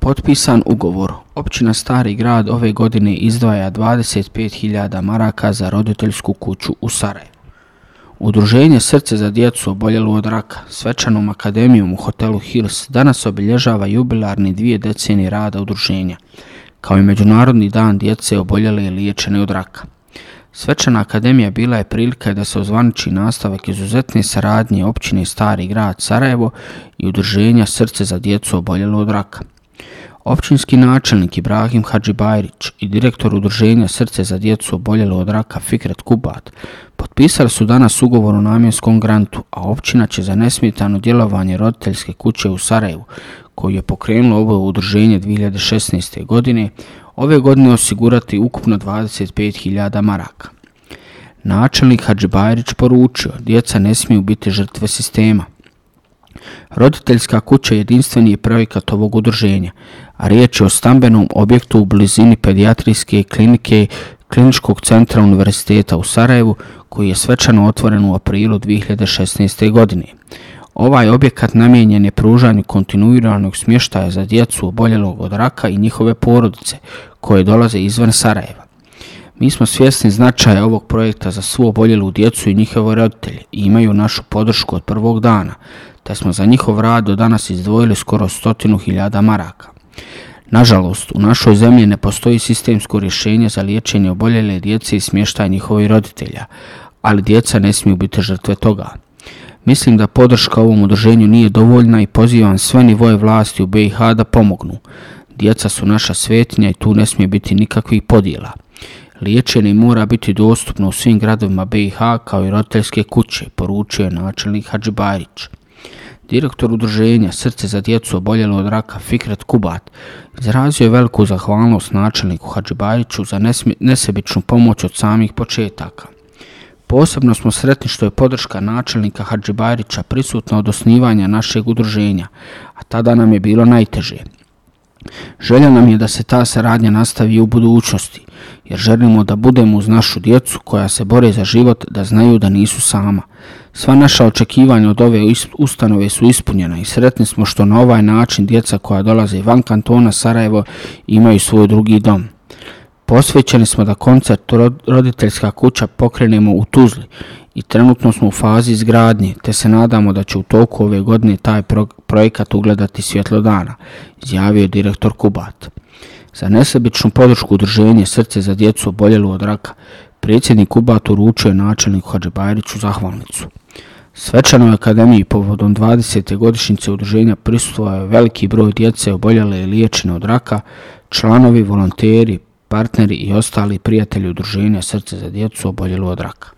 Potpisan ugovor. Općina Stari Grad ove godine izdvaja 25.000 maraka za roditeljsku kuću u Sarajevu. Udruženje Srce za djecu oboljelu od raka svečanom akademijom u hotelu Hills danas obilježava jubilarni 2 decenije rada udruženja, kao i Međunarodni dan djece oboljele i liječene od raka. Svečana akademija bila je prilika da se ozvaniči nastavak izuzetne saradnje općine Stari Grad Sarajevo i udruženja Srce za djecu oboljelu od raka. Općinski načelnik Ibrahim Hadžibajrić i direktor udruženja Srce za djecu oboljelu od raka Fikret Kubat potpisali su danas ugovor o namjenskom grantu, a općina će za nesmetano djelovanje roditeljske kuće u Sarajevu, koju je pokrenulo ovo udruženje 2016. godine, ove godine osigurati ukupno 25.000 maraka. Načelnik Hadžibajrić poručio: djeca ne smiju biti žrtve sistema. Roditeljska kuća jedinstveni je projekat ovog udruženja, a riječ je o stambenom objektu u blizini pedijatrijske klinike Kliničkog centra Univerziteta u Sarajevu, koji je svečano otvoren u aprilu 2016. godine. Ovaj objekat namijenjen je pružanju kontinuiranog smještaja za djecu oboljelog od raka i njihove porodice koje dolaze izvan Sarajeva. Mi smo svjesni značaja ovog projekta za svu oboljelu djecu i njihove roditelje i imaju našu podršku od prvog dana, te smo za njihov rad do danas izdvojili skoro 100.000 maraka. Nažalost, u našoj zemlji ne postoji sistemsko rješenje za liječenje oboljele djece i smještaj njihovih roditelja, ali djeca ne smiju biti žrtve toga. Mislim da podrška ovom udruženju nije dovoljna i pozivam sve nivoje vlasti u BiH da pomognu. Djeca su naša svetinja i tu ne smije biti nikakvih podjela. Liječenje mora biti dostupno u svim gradovima BiH kao i roditeljske kuće, poručio je načelnik Hadžibajrić. Direktor udruženja Srce za djecu oboljelu od raka Fikret Kubat izrazio je veliku zahvalnost načelniku Hadžibajriću za nesebičnu pomoć od samih početaka. Posebno smo sretni što je podrška načelnika Hadžibajrića prisutna od osnivanja našeg udruženja, a tada nam je bilo najteže. Želja nam je da se ta saradnja nastavi i u budućnosti, jer želimo da budemo uz našu djecu koja se bore za život, da znaju da nisu sama. Sva naša očekivanja od ove ustanove su ispunjena i sretni smo što na ovaj način djeca koja dolaze van kantona Sarajevo imaju svoj drugi dom. Posvećeni smo da koncept roditeljska kuća pokrenemo u Tuzli i trenutno smo u fazi izgradnje, te se nadamo da će u toku ove godine taj projekat ugledati svjetlo dana, izjavio je direktor Kubat. Za nesebičnu podršku udruženje Srce za djecu oboljelu od raka, predsjednik Kubat uručio je načelniku Hadžibajriću zahvalnicu. Svečanoj akademiji povodom 20. godišnjice udruženja prisustvovao je veliki broj djece oboljele i liječene od raka, članovi, volonteri, partneri i ostali prijatelji udruženja Srce za djecu oboljelu od raka.